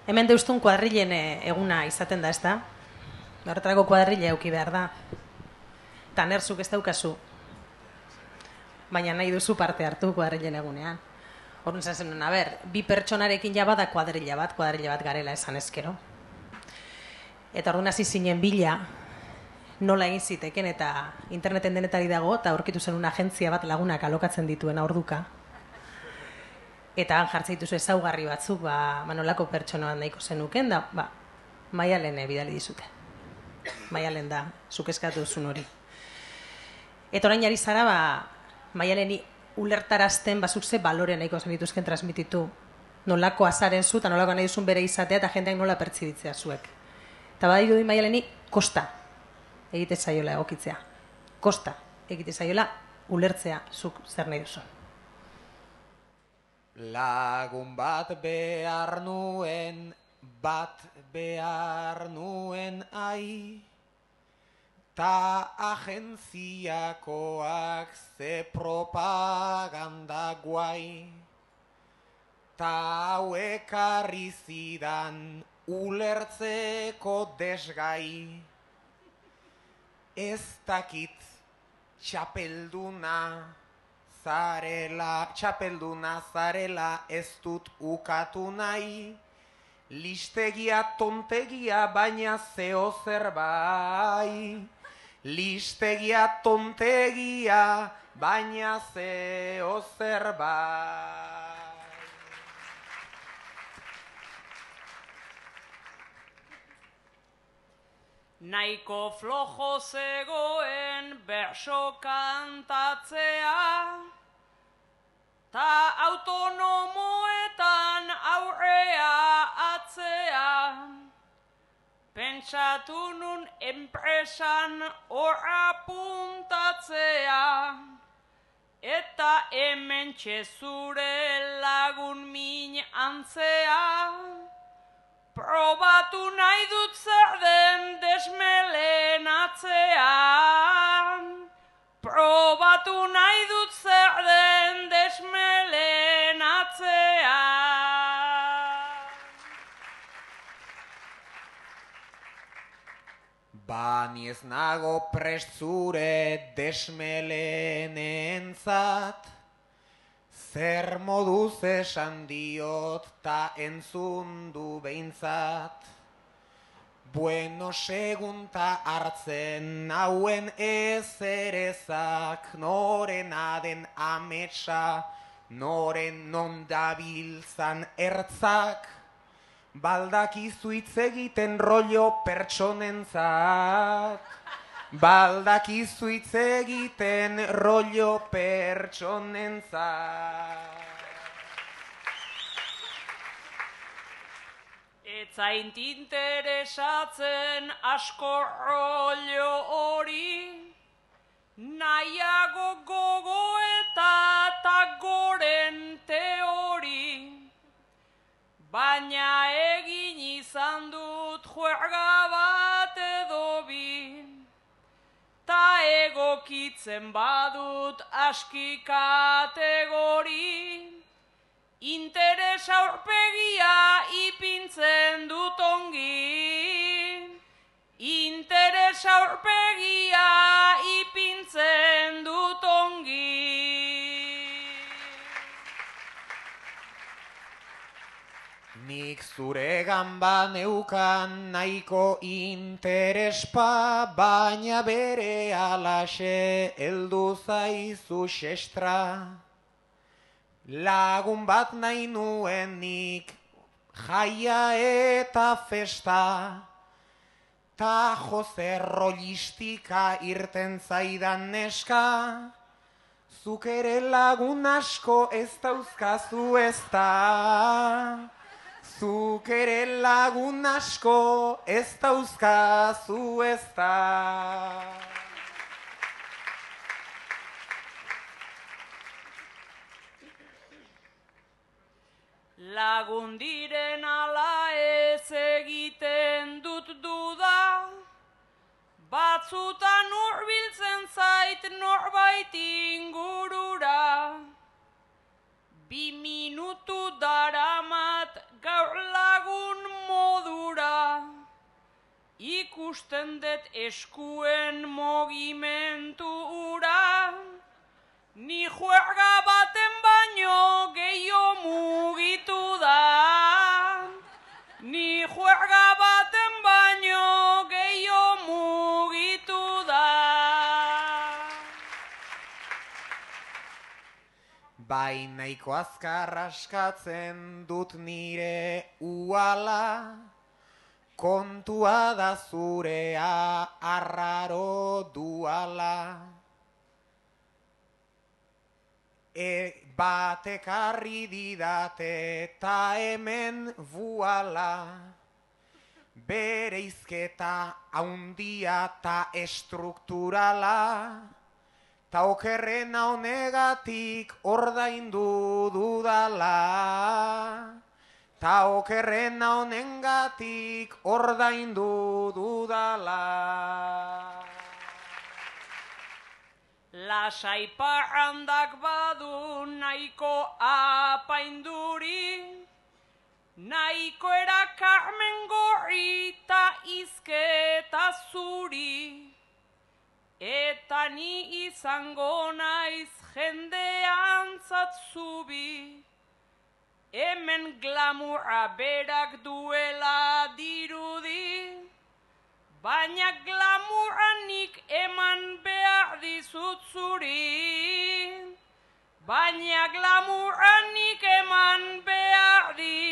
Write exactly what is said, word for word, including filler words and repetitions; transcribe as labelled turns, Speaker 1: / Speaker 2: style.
Speaker 1: Hemen deustun kuadrilen eguna izaten da, ez da? Horretarako kuadrile euki behar da. Eta nerzuk ez daukazu. Baina nahi duzu parte hartu kuadrilen egunean. Horren zazen nuen, a ber, bi pertsonarekin ja bada kuadrilla bat, kuadrilla bat garela esan ezkero. Eta orduan hasi zinen bila, nola egin ziteken, eta interneten denetari dago, eta aurkitu zen una agentzia bat lagunak alokatzen dituen orduka. Eta han jartzen dituzu ezaugarri batzuk, ba, nolako pertsonoan nahiko zenuken, da, ba, Maialene bidali dizute. Maialen da, zuk eskatu duzun hori. Eta orain ari zara, ba, Maialeni ulertarazten bazuk ze balore nahiko zenituzken transmititu. Nolako azaren zu, eta nolako nahi duzun bere izatea, eta jendeak nola pertsibitzea zuek. Eta badiru di Maialeni, kosta egite zaiola egokitzea. Kosta egite zaiola ulertzea zuk zer nahi duzun.
Speaker 2: Lagun bat behar nuen, bat behar nuen ai, ta agentziakoak ze propaganda guai, ta hauek arri zidan ulertzeko desgai, ez dakit txapelduna zarela, txapelduna zarela ez dut ukatu nahi, listegia tontegia baina zeo zerbai. Listegia tontegia baina zeo zerbai.
Speaker 3: Naiko flojo zegoen berso kantatzea, ta autonomoetan aurrea atzea. Pentsatu nun enpresan hor apuntatzea, eta hemen zure lagun min antzea. Probatu nahi dut zer den desmelenatzean. Probatu nahi dut zer den desmelenatzean.
Speaker 2: Bani ez nago prest zure desmelenentzat, zer moduz esan diot ta entzun du behintzat. Bueno segunta hartzen hauen ezerezak, norena den ametsa, noren non dabiltzan ertzak, baldakizu hitz egiten rollo pertsonentzat. Baldakizu hitz egiten rollo pertsonentzat.
Speaker 3: Etzaint interesatzen asko rollo hori, nahiago gogoeta eta goren teori. Baina egin izan dut juerga bat edo bi, ta egokitzen badut aski kategori. Interes aurpegia ipintzen dut ongi. Interes aurpegia ipintzen dut ongi.
Speaker 2: Nik zure gamba neukan nahiko interespa, baina bere alaxe heldu zaizu xestra. Lagun bat nahi nuen nik jaia eta festa, ta Jose rollistika irten zaidan neska, zuk ere lagun asko ez dauzkazu ez da. Zuk ere lagun asko ez dauzkazu ez da.
Speaker 3: Lagun diren ala ez egiten dut duda, batzutan hurbiltzen zait norbait ingurura. Bi minutu daramat gaur lagun ikusten dut eskuen mogimentu ura, ni juerga baten baino gehiago mugitu da. Ni juerga baten baino gehiago mugitu da.
Speaker 2: Bai nahiko azkar askatzen dut nire uala, kontua da zurea arraro duala. E batek arri didate eta hemen buala, bere izketa haundia ta estrukturala, ta okerrena honegatik ordaindu dudala, ta okerrena honengatik ordaindu dudala.
Speaker 3: Lasai parrandak badu nahiko apainduri, nahiko erakarmen gorri ta izketa zuri, eta ni izango naiz jendean zatzubi, hemen glamurra berak duela dirudi, baina glamurranik eman behar dizut zuri, baina glamurranik eman behar dizut.